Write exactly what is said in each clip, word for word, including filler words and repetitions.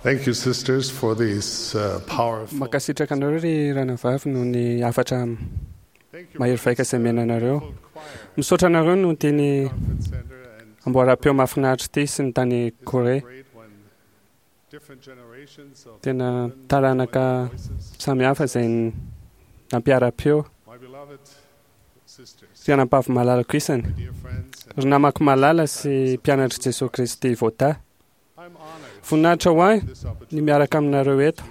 Thank you, sisters, for these uh, powerful. Mankasitraka anareo ry ranavavy noho ny hafatra Thank you, mahery vaika izay omena anareo. full choir, Misaotra anareo noho teny conference center, and amboaram-peo mahafinaritra ity sy ny tany isn't it Korea. great when different generations of Tena women taranaka join voices? samihafa izay n- nampiara-peo. My beloved sisters, Ry anabavy malalako isany, my dear friends, and ry namako malala sy mpianatr'i Jesosy Kristy voata. I'm honored Voninahitra ho ahy this ny opportunity miaraka aminareo eto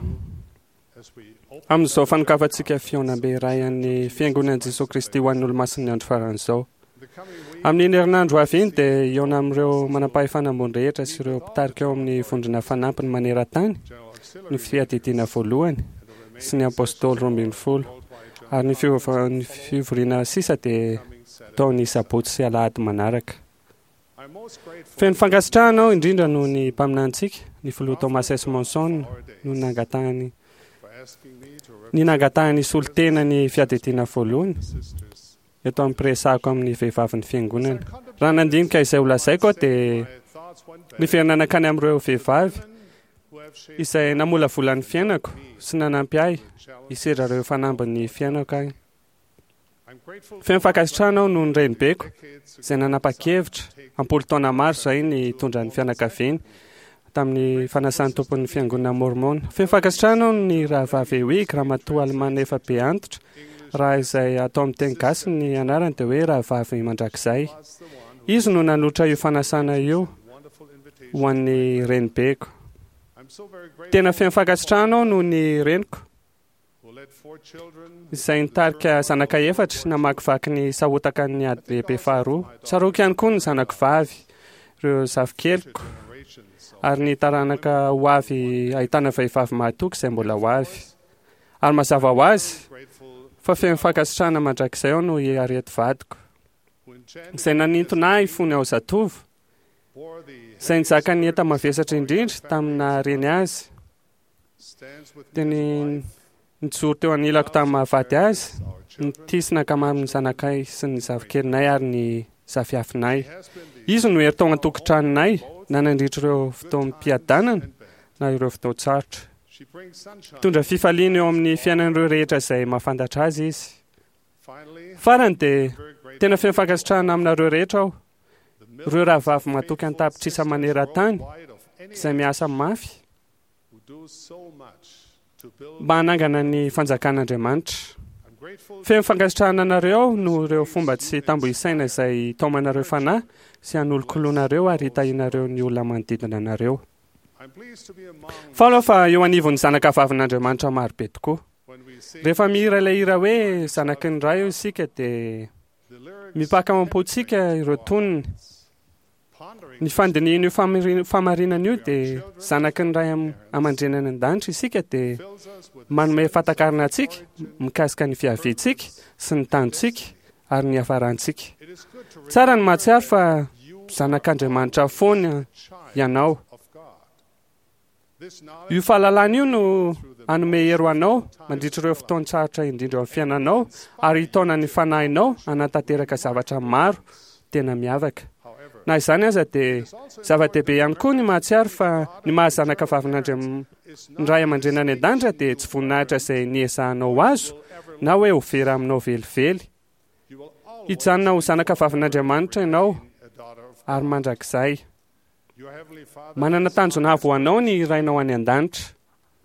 as we open amin'izao fanokafantsika fihaonambe iray an'ny Fiangonan'i Jesosy Kristy ho an'ny Olomasin'ny andro faran'izao. the coming week. Amin'iny herinandro avy iny dia hihaona amin'ireo manam-pahefana ambony rehetra sy ireo mpitarika ao amin'ny vondrona fanampiny maneran-tany General ny Auxiliary fiadidiana voalohany and the remaining sy ny apôstôly roa ambin'ny folo worldwide ary ny fiova- ny fivoriana sisa dia coming Saturday. atao ny sabotsy sy alahady manaraka. I'm most grateful Feno fankasitrahana aho indrindra noho ny mpaminanintsika, ny filoha Thomas S. Monson, for our days, no nangatahany for asking me to ny nangatahany solotena ny fiadidiana voalohany represent the sisters. eto amin'ny mpiresahako amin'ny vehivavin'ny fiangonana. Raha nandinika izay ho lazaiko aho dia My thoughts went back niverina nankany amin'ireo vehivavy who have shaped izay namolavola ny fiainako sy nanampy ahy the hisedra ireo fanambin'ny fiainako ahy. I'm grateful Feno fankasitrahana aho noho ny renibeko decades izay nanapa-kevitra ampolo taona maro izay nitondra ny fianakaviany tamin'ny fanasan'ny tompon'ny fiangonana Mormona. Feno fankasitrahana aho ny rahavavy Ewig, ramatoa alemana efa be antitra, raha izay atao amin'ny teny gasy ny anarany dia hoe rahavavy mandrakizay. was the one Izy no nanolotra io fanasana io who wonderful invitation. ho an'ny renibeko. I'm so very grateful Tena feno fankasitrahana aho noho ny reniko who led four children izay nitarika zanaka efatra namakivaky ny sahotaka ny ady lehibe faharoa. Tsaroako ihany koa ny zanako vavy, ireo zafikeliko generations of ary ny taranaka ho avy ahitana vehivavy mahatoky izay mbola ho avy. Ary mazava ho azy grateful fa feno fankasitrahana mandrakizay aho noho i Harriet vadiko who enchanted izay nanintona ahy fony aho zatovo, bore the izay nizaka ny enta-mavesatra indrindra tamin'ny nahareny azy, stands with dia me ny as wife, nijoro teo anilako tamin'ny mahavady azy, our children. nitia sy nankamamy ny zanakay sy ny zafikelinay ary ny zafiafinay. He has been the Izy no hery tao an-tokantranonay na nandritra ireo fotoam-piadanana and bad. na ireo fotoan-tsarotra. She brings sunshine. Mitondra fifaliana eo amin'ny fiainan'ireo rehetra izay mahafantatra azy izy. Finally, Farany dia very grateful tena feno fankasitrahana aminareo rehetra aho, the ireo rahavavy matoky an-tapitrisa maneran-tany worldwide of any izay miasa mafy who do so much to build. mba hanangana ny fanjakan'Andriamanitra. I'm grateful Feno fankasitrahana anareo aho noho ireo fomba tsy tambo isaina izay taomanareo fanahy sy hanolokoloanareo ary hitahianareo ny olona manodidina anareo. I'm pleased to be among Faly aho fa eo anivon'ny zanaka vavin'Andriamanitra marobe tokoa. when we sing Rehefa mihira ilay hira hoe zanaky ny ray eo isika dia the lyrics mipaka ao am-pontsika ireo tonony. pondering Ny fandinihana io famari- famarinana io dia zanaky ny ray am- aman-dreny any an-danitra isika dia fills us with manome fahatakarana antsika mikasika ny fiaviantsika sy ny tanjontsika ary ny hafarantsika. it is good to Tsara ny mahatsiaro fa you zanak'Andriamanitra foana child ianao. of God. This knowledge Io fahalalana io no hanome hery ho anao mandritra ireo fotoan-tsarotra indrindra ao amin'ny fiainanao ary hitaona ny fanahinao hanatanteraka zavatra maro tena miavaka. however Na izany aza dia zava-dehibe ihany koa ny mahatsiaro fa ny mahazanaka vavin'Andriam- is ny ray aman-dreny any an-danitra dia tsy voninahitra izay niezahanao ho azo na hoe ho vera aminao velively. you will always Hijanona ho zanaka vavin'Andriamanitra ianao be a daughter of ary mandrakizay. your heavenly father Manana tanjona avo ho anao ny rainao any an-danitra.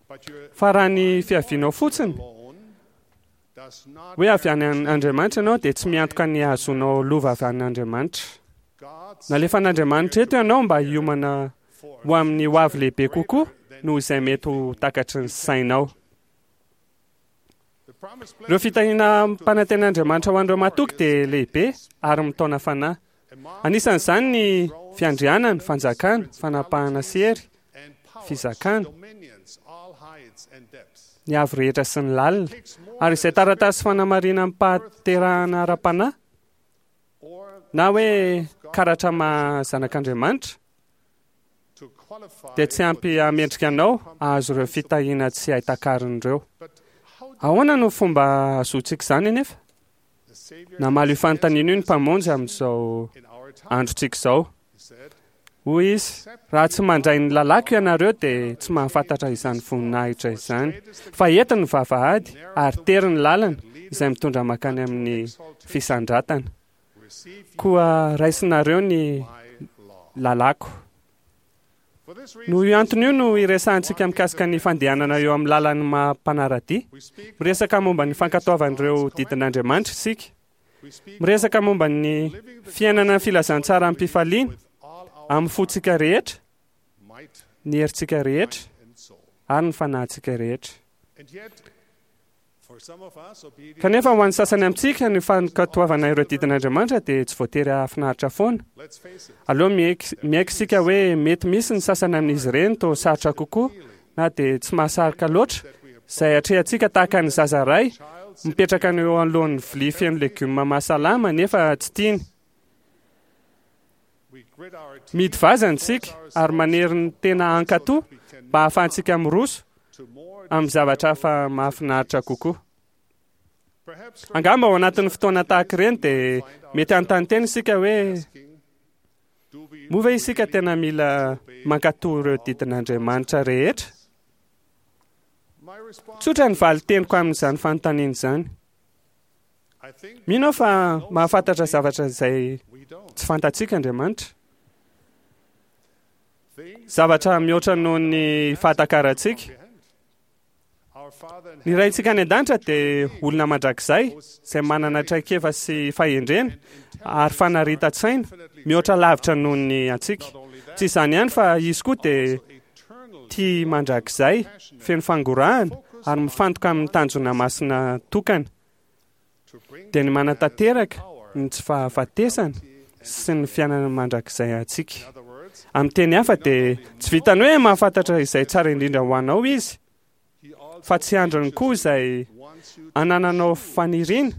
but your Fa raha ny fiavianao fotsiny alone does not hoe avy any an- Andriamanitra ianao dia tsy miantoka ny hahazoanao lova avy any Andriamanitra. God's Nalefan'Andriamanitra eto ianao mba hiomana for ho amin'ny ho avy lehibe kokoa noho izay mety ho takatry ny sainao. the promise Ireo fitahiana ampanantenan'Andriamanitra ho an'ireo matoky dia lehibe ary mitaona fanahy. Anisan'izany ny fiandrianana, fanjakana, fanapahana sy hery, and powers, fizakana, dominions, all heights and depths. ny avo rehetra sy ny lalina. Takes more Ary izay taratasy fanamarina am-pahaterahana ara-panahy or na hoe karatra maha zanak'Andriamanitra to qualify dia tsy ampy hamendrika anao hahazo ireo fitahiana tsy hay takarina ireo. but how do Ahoana no fomba ahazoantsika izany anefa? the Savior Namaly io fanontaniana io ny Mpamonjy amin'izao in our time androntsika izao. he said Hoy izy, raha tsy mandray ny lalàko ianareo dia tsy mahafantatra izany voninahitra izany. Fa ety ny vavahady ary tery ny lalana izay mitondra mankany amin'ny fisandratana. Koa raisinareo ny lalàko. Noho io antony io no iresahantsika mikasika ny fandehanana eo amin'ny lalan'ny maha mpanara-dia. Miresaka momba ny fankatoavan'ireo didin'Andriamanitra isika. Miresaka momba ny fiainana ny filazantsara amim-pifaliana, amin'ny fontsika rehetra, ny herintsika rehetra ary ny fanahintsika rehetra. Kanefa ho an'ny sasany amintsika ny fankatoavana ireo didin'Andriamanitra dia tsy voatery hahafinaritra foana. Aleo miaiky miaiky isika hoe mety misy ny sasany amin'izy ireny toa sarotra kokoa na dia tsy mahasarika loatra, izay atrehantsika tahaka ny zaza iray mipetraka eo anoloan'ny vilia feno legioma mahasalama nefa tsy tiany. Mihidy vazana isika ary manery ny tena hankatò mba hahafahantsika miroso amin'ny zavatra hafa mahafinaritra kokoa. Angamba ao anatin'ny fotoana tahaka ireny dia mety hanontany tena isika hoe moa ve isika tena mila mankatò ireo didin'Andriamanitra rehetra? Tsotra ny valin-teniko amin'izany fanontaniana izany. Mino aho fa mahafantatra zavatra izay tsy fantatsika Andriamanitra. Zavatra mihoatra noho ny fahatakarantsika. Ny Raintsika any an-danitra dia olona mandrakizay izay manana traikefa sy fahendrena ary fanaritan-tsaina mihoatra lavitra noho ny antsika. Tsy izany ihany fa izy koa dia tia mandrakizay, feno fangorahana ary mifantoka amin'ny tanjona masina tokana, dia ny manatanteraka ny tsy fahafatesana sy ny fiainana mandrakizay antsika. Amin'ny teny hafa dia tsy vitany hoe mahafantatra izay tsara indrindra ho anao izy, fa tsy andriny koa izay anananao faniriana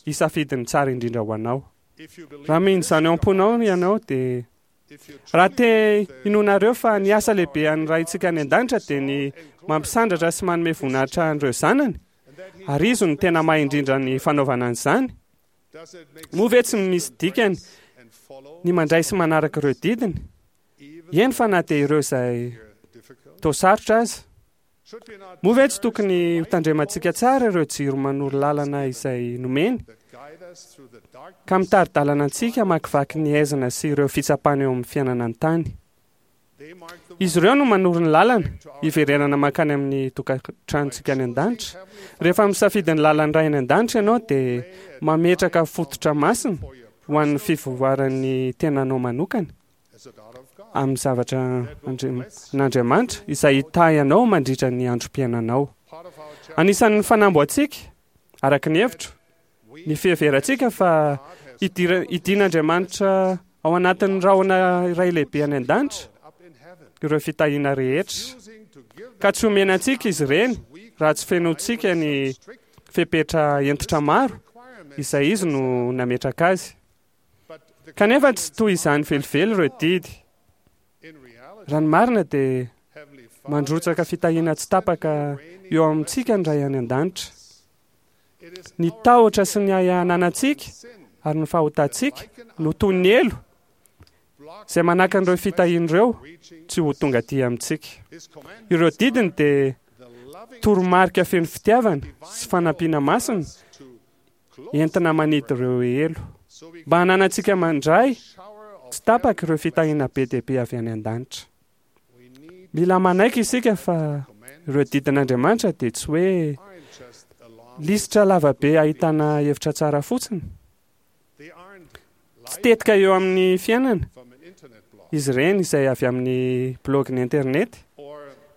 hisafidy ny tsara indrindra ho anao. Raha mino izany ao am-ponao ianao dia raha te hinoanareo fa ny asa lehibe an'ny Raintsika any an-danitra dia ny mampisandratra sy manome voninahitra an'ireo zanany, ary izy no tena mahay indrindra ny fanaovana an'izany, moa ve tsy misy dikany ny mandray sy manaraka ireo didiny? Eny fa na dia ireo izay toa sarotra aza. Moa ve tsy tokony hotandremantsika tsara ireo jiro manoro lalana izay nomeny, ka mitari-dalana antsika hamakivaky ny haizina sy ireo fitsapana eo amin'ny fiainana an-tany? Izy ireo no manoro ny lalana hiverenana mankany amin'ny tokantranontsika any an-danitra. Rehefa misafidy ny lalan'ny Ray any an-danitra ianao dia mametraka fototra masina ho an'ny fivoaran'ny tenanao manokana amin'ny zavatra an'Andriamanitra izay hitahy anao mandritra ny androm-piainanao. Anisan'ny fanamby ho antsika, araka ny hevitro, ny fiheverantsika fa hidin'Andriamanitra ao anatin'ny rahona iray lehibe any an-danitra ireo fitahiana rehetra, ka tsy homena antsika izy ireny raha tsy fenointsika ny fepetra hentitra maro izay izy no nametraka azy. Kanefa tsy toy izany velively ireo didy. Raha ny marina dia mandrotsaka fitahiana tsy tapaka eo amintsika ny Ray any an-danitra. Ny tahotra sy ny ahiahy ananantsika ary ny fahotantsika no toy ny elo izay manakana ireo fitahiana ireo tsy ho tonga aty amintsika. Ireo didiny dia toromarika feno fitiavana sy fanampiana masina entina manidy ireo elo, mba hananantsika mandray tsy tapaka ireo fitahiana be dia be avy any an-danitra. Mila manaiky isika fa ireo didin'Andriamanitra dia tsy hoe lisitra lava be ahitana hevitra tsara fotsiny. Tsy tetika eo amin'ny fiainana izy ireny izay avy amin'ny blaogin'ny internet,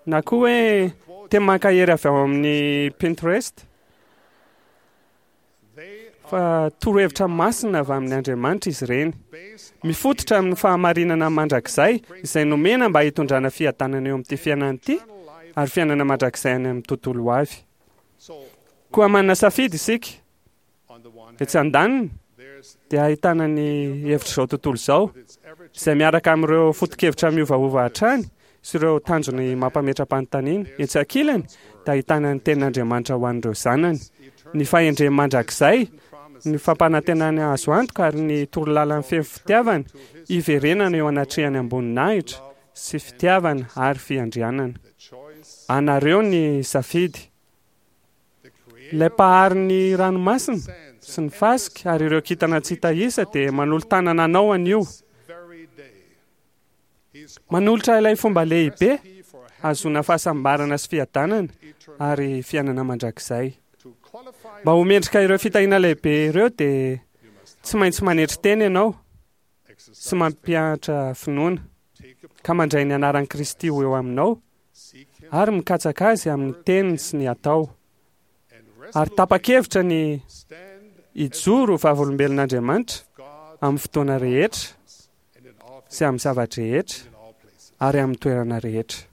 na koa hoe teny mankahery avy ao amin'ny Pinterest. Fa torohevitra masina avy amin' Andriamanitra izy ireny, mifototra amin'ny fahamarinana mandrakizay izay nomena mba hitondrana fiadanana eo amin'ity fiainana ity ary fiainana mandrakizay any amin'ny tontolo ho avy. Koa manana safidy isika. Etsy andaniny dia ahitana ny hevitr'izao tontolo izao, izay miaraka amin'ireo foto-kevitra miovaova hatrany sy ireo tanjony mampametra-panontaniana. Etsy ankilany dia ahitana ny tenin'Andriamanitra ho an'ireo zanany, ny fahendreny mandrakizay ny fampanantenany azo antoka ary ny torolalan'ny feno fitiavana hiverenana eo anatrehany amboninahitra sy fitiavana ary fiandrianana. Anareo ny safidy. Ilay mpahary ny ranomasina sy ny fasika ary ireo kintana tsy hita isa dia manolo-tanana anao anio. Manolotra ilay fomba lehibe ahazoana fahasambarana sy fiadanana ary fiainana mandrakizay. Mba ho mendrika ireo fitahiana lehibe ireo dia tsy maintsy manetry tena ianao sy mampianatra finoana ka mandray ny anaran'i Kristy ho eo aminao ary mikatsaka azy amin'ny teniny sy ny atao. Ary tapa-kevitra ny hijoro vavolombelon'Andriamanitra amin'ny fotoana rehetra sy amin'ny zava-drehetra ary amin'ny toerana rehetra.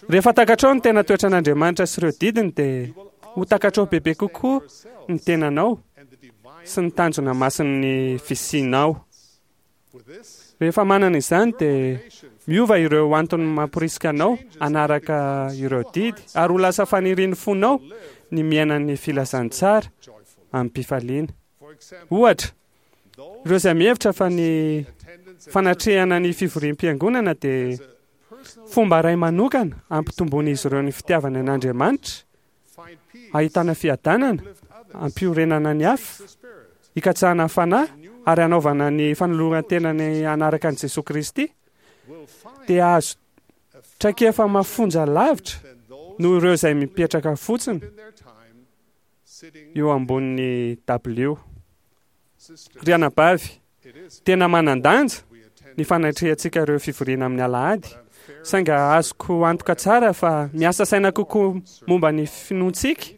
Rehefa takatrao ny tena toetran'Andriamanitra sy ireo didiny dia ho takatrao bebe kokoa ny tenanao sy ny tanjona masin'ny fisianao. Rehefa manana izany dia miova ireo antony mamporisika anao hanaraka ireo didy ary ho lasa fanirian'ny fonao ny miaina ny filazantsara amim-pifaliana. Ohatra, ireo izay mihevitra fa ny fanatrehana ny fivoriam-piangonana dia fomba iray manokana hampitomboan'izy ireo ny fitiavana an'Andriamanitra, ahitana fiadanana, ampiorenana ny hafa, hikatsahana fanahy ary hanaovana ny fanoloran-tenany hanaraka an'i Jesoa Kristy, dia azo traikefa mafonja lavitra noho ireo izay mipetraka fotsiny eo ambonin'ny dabilio. Ry anabavy, tena manan-danja ny fanatrehantsika ireo fivoriana amin'ny alahady, saingy azoko antoka tsara fa miasa saina kokoa momba ny finoantsika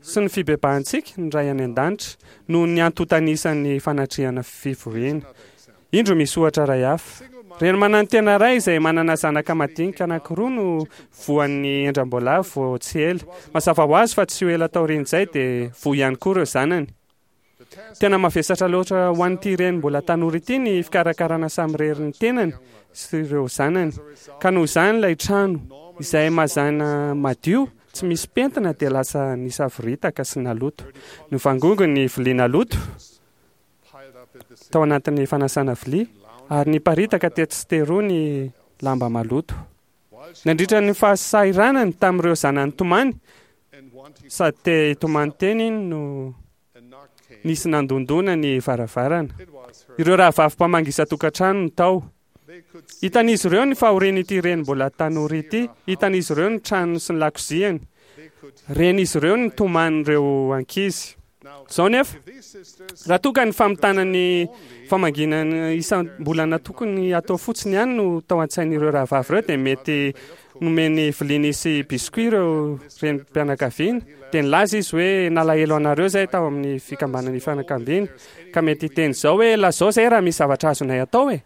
sy ny fibebahantsika ny Ray any an-danitra noho ny antontan'isan'ny fanatrehana fivoriana. Indro misy ohatra iray hafa. Reny manantena iray izay manana zanaka madinika anankiroa no voan'ny endram-boalavo vao tsy ela. Mazava ho azy fa tsy ho ela taorian'izay dia voa ihany koa ireo zanany. Tena mavesatra loatra ho an'ity reny mbola tanora ity ny fikarakarana samirery ny tenany sy ireo zanany. Ka noho izany ilay trano izay mazàna madio tsy misy pentina dia lasa nisavoritaka sy naloto. Novangongo ny vilia naloto tao anatin'ny fanasana vilia ary niparitaka tetsy sy teroa ny lamba maloto. Nandritra ny fahasahiranany tamin'ireo zanany tomany sady te hitomany teny iny no nisy nandondona ny varavarana. Ireo rahavavy mpamangy isan-tokantrano no tao. Hitan'izy ireo ny fahorian'ity reny mbola tanora ity, hitan'izy ireo ny tranony sy ny lakoziany. Ren'izy ireo ny toman'ireo ankizy. Izao nefa, raha toa ka ny famitana ny famangiana isam-bolana tokony atao fotsiny ihany no tao an-tsain'ireo rahavavy ireo dia mety nomeny vilia nisy biscuit ireo renim-pianakaviana dia nilaza izy hoe nalahelo anareo izay tao amin'ny fikambanan'ny fianakaviana ka mety hiteny izao hoe lazao izay raha misy zavatra azonay atao e.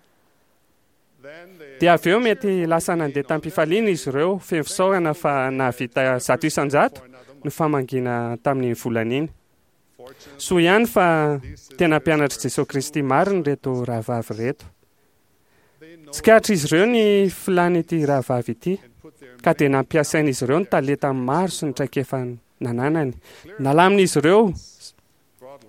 Dia avy eo mety lasa nandeha tamim-pifaliana izy ireo feno fisaorana fa nahavita zato isan-jato ny famangiana tamin'iny volana iny. Soa ihany fa tena mpianatr'i Jesoa Kristy marina ireto rahavavy ireto. Tsikaritr'izy ireo ny filan'ity rahavavy ity ka dia nampiasain'izy ireo ny talenta maro sy ny traikefa nananany. Nalamin'izy ireo,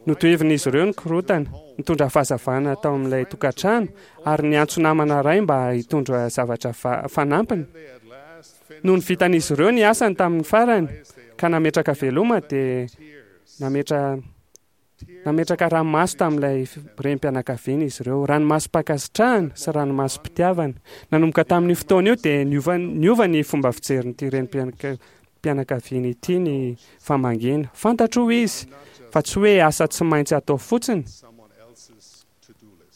notohevin'izy ireo ny korontana, nitondra fahazavana tao amin'ilay tokantrano ary niantso namana iray mba hitondra zavatra fanampiny. Nony vitan'izy ireo ny asany tamin'ny farany ka nametraka veloma dia nametra Nametraka ranomaso tamin'ilay renim-pianakaviana izy ireo, ranomasom-pankasitrahana sy ranomasom-pitiavana. Nanomboka tamin'io fotoana io dia niova, niova ny fomba fijerin'ity renim-pianakaviana ity ny famangiana. Fantatro hoy izy fa tsy hoe asa tsy maintsy atao fotsiny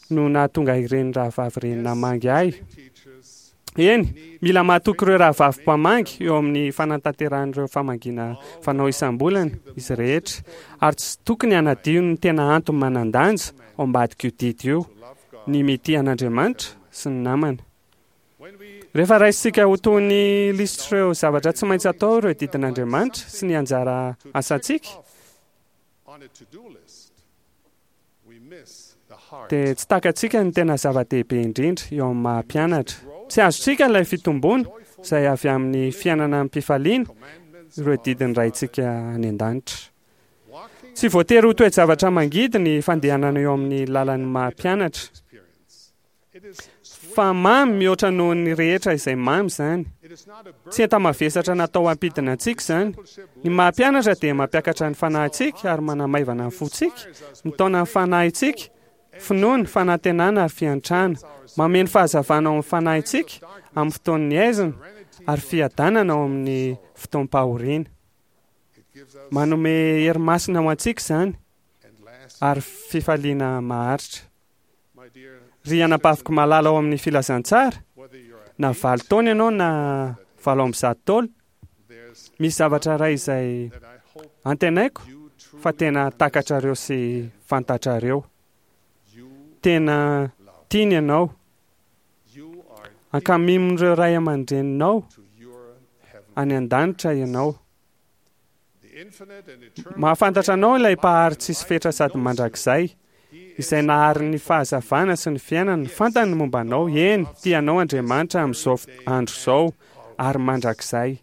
no nahatonga ireny rahavavy ireny namangy ahy. Eny, mila mahatoky ireo rahavavy mpamangy eo amin'ny fanatanterahana ireo famangiana fanao isam-bolana izy rehetra, ary tsy tokony hanadio ny tena antony manan-danja ao ambadik'io didy io, ny mitia an'Andriamanitra sy ny namana. Rehefa raisintsika ho toy ny lisitr'ireo zavatra tsy maintsy atao ireo didin'Andriamanitra sy ny anjara asantsika, dia tsy takatsika ny tena zava-dehibe indrindra eo amin'ny maha mpianatra. Tsy azontsika ilay fitomboana izay avy amin'ny fiainana amim-pifaliana ireo didin'ny Raintsika any an-danitra. Tsy voatery ho toe-javatra mangidy ny fandehanana eo amin'ny lalan'ny maha-mpianatra, fa mamy mihoatra noho ny rehetra izay mamy izany. Tsy enta-mavesatra natao hampidina antsika izany. Ny maha-mpianatra dia mampiakatra ny fanahintsika ary manamaivana ny fontsika, mitaona ny fanahintsika, finoana, fanantenana ary fiantrana, mameno fahazavana ao amin'ny fanahintsika amin'ny fotoan'ny aizina ary fiadanana ao amin'ny fotoam-pahoriana. Manome hery masina ho antsika izany ary fifaliana maharitra. Ry anabaviko malala ao amin'ny filazantsara, na valo taona ianao na valo amby zato taona, misy zavatra iray izay antenaiko fa tena takatrareo sy fantatrareo. Tena tiany ianao. Ankamimin'ireo ray aman-dreninao any an-danitra ianao. Mahafantatra anao ilay mpahary tsisy fetra sady mandrakizay, izay nahary ny fahazavana sy ny fiainana. Fantany ny momba anao. Eny, tianao Andriamanitra amin'izao andro izao ary mandrakizay.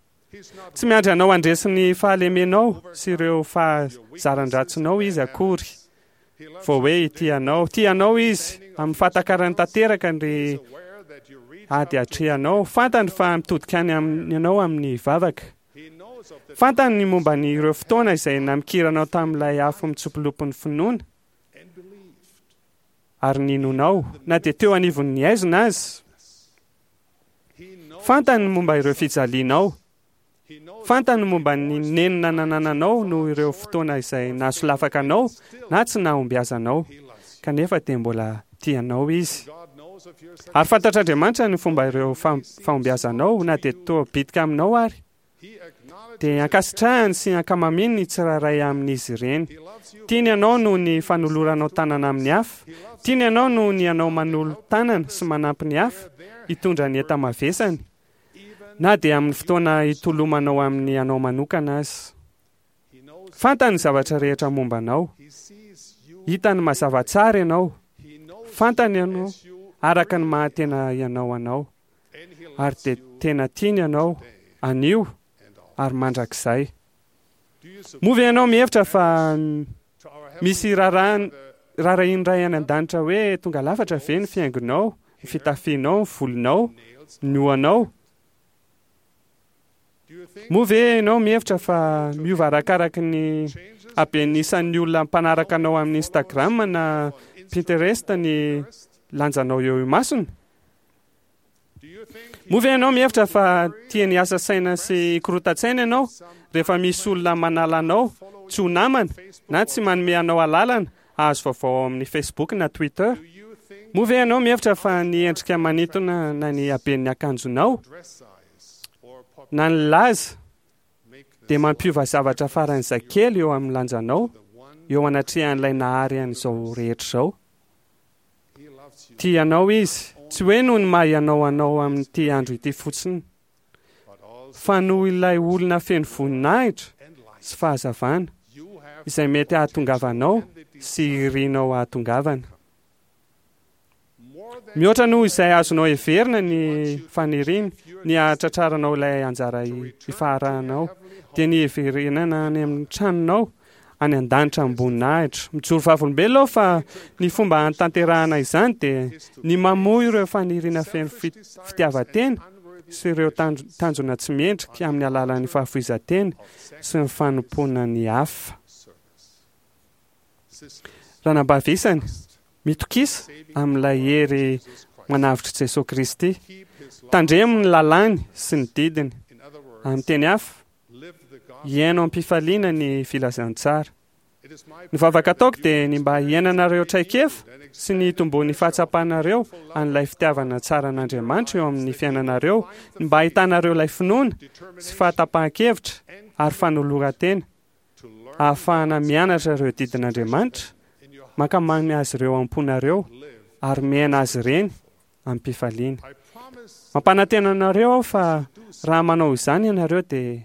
Tsy miandry anao handresy ny fahalemenao sy ireo fahazaran-dratsinao izy akory vao hoe tianao. Tianao izy amin'ny fahatakarany tanteraka ny ady atrehanao. Fantany fa mitodika any aminy ianao amin'ny vavaka. Fantany ny momba ny ireo fotoana izay namikiranao tamin'ilay afo mitsopolopin'ny finoana ary ninonao na dia teo anivon'ny aizina azy. Fantany ny momba ireo fijalianao. Fantany ny momba ny nenina nanananao noho ireo fotoana izay nahasolafaka anao na tsy nahombiazanao, kanefa dia mbola tianao izy. Ary fantatr'Andriamanitra ny fomba ireo fahombiazanao na dia toa bitika aminao ary dia ankasitrahany sy ankamamiany ny tsirairay amin'izy ireny. Tiany ianao noho ny fanoloranao tanana amin'ny hafa. Tiany ianao noho ny ianao manolo-tanana sy manampy ny hafa hitondra ny enta-mavesany, na dia amin'ny fotoana hitolomanao amin'ny anao manokana azy. Fantany ny zavatra rehetra momba anao. Hitany mazava tsara ianao. Fantany ianao araka ny maha-tena ianao anao. Ary dia tena tiany ianao anio ary mandrakizay. Moa ve ianao mihevitra fa misy raharahian'ny Ray any an-danitra hoe tonga lafatra ve ny fihaingonao, ny fitafianao, ny volonao, ny hoanao? Moa ve ianao mihevitra fa miova arakaraky ny haben'ny isan'ny olona mpanaraka anao amin'ny Instagram na Pinterest ny lanjanao eo imasony? Moa ve ianao mihevitra fa tiany hiasa saina sy hikorotan-tsaina ianao rehefa misy olona manala anao tsy ho namana na tsy manome anao alalana hahazo vaovao ao amin'ny Facebook na Twitter? Moa ve ianao mihevitra fa ny endrika manintona na ny haben'ny akanjonao na ny laza dia mampiova zavatra faran'izay kely eo amin'ny lanjanao eo anatrehan'ilay nahary an'izao rehetra izao? Tia anao izy, tsy hoe noho ny maha ianao anao amin'ity andro ity fotsiny, fa noho ilay olona feno voninahitra sy fahazavana izay mety hahatongavanao sy irinao hahatongavana. Mihoatra noho izay azonao heverina ny faniriany ny hahatratraranao ilay anjara ifaharahanao, dia ny hiverenana any amin'ny tranonao any an-danitra amboninahitra. Mijoro vavolombelona aho fa ny fomba hanatanterahana izany dia ny mamoy ireo faniriana feno fitiavan-tena sy ireo tanjona tsy mendrika amin'ny alalan'ny fahafoizan-tena sy ny fanompoana ny hafa. Ranabavy isany, mitokisa amin'ilay hery manavotr'i Jesoa Kristy. Tandremo ny lalàny sy ny didiny. Amin'ny teny hafa, hiaino am-pifaliana ny filazantsara. Ny vavaka ataoko dia ny mba hiainanareo traikefa sy ny hitomboan'ny fahatsapanareo an'ilay fitiavana tsara an'Andriamanitra eo amin'ny fiainanareo, ny mba hahitanareo ilay finoana sy fahatapahan-kevitra ary fanoloran-tena ahafahana mianatra ireo didin'Andriamanitra, mankamamy azy ireo am-ponareo ary miaina azy ireny am-pifaliana. Mampanantena anareo aho fa raha manao izany ianareo dia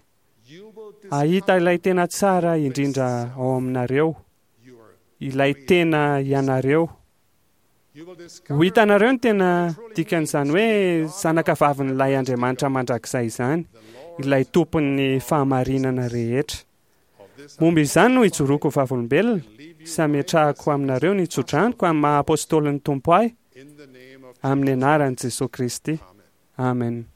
hahita ilay tena tsara indrindra ao aminareo, ilay tena ianareo. Ho hitanareo ny tena dikan'izany hoe zanaka vavin'ilay Andriamanitra mandrakizay izany, ilay tompon'ny fahamarinana rehetra. this Momba izany no ijoroako ho vavolombelona leave you sy ametrahako aminareo ny tsodranoko amin'ny maha apôstôlin'ny Tompo ahy in the name of amin'ny anaran'i Jesosy Kristy. Amen. Amen.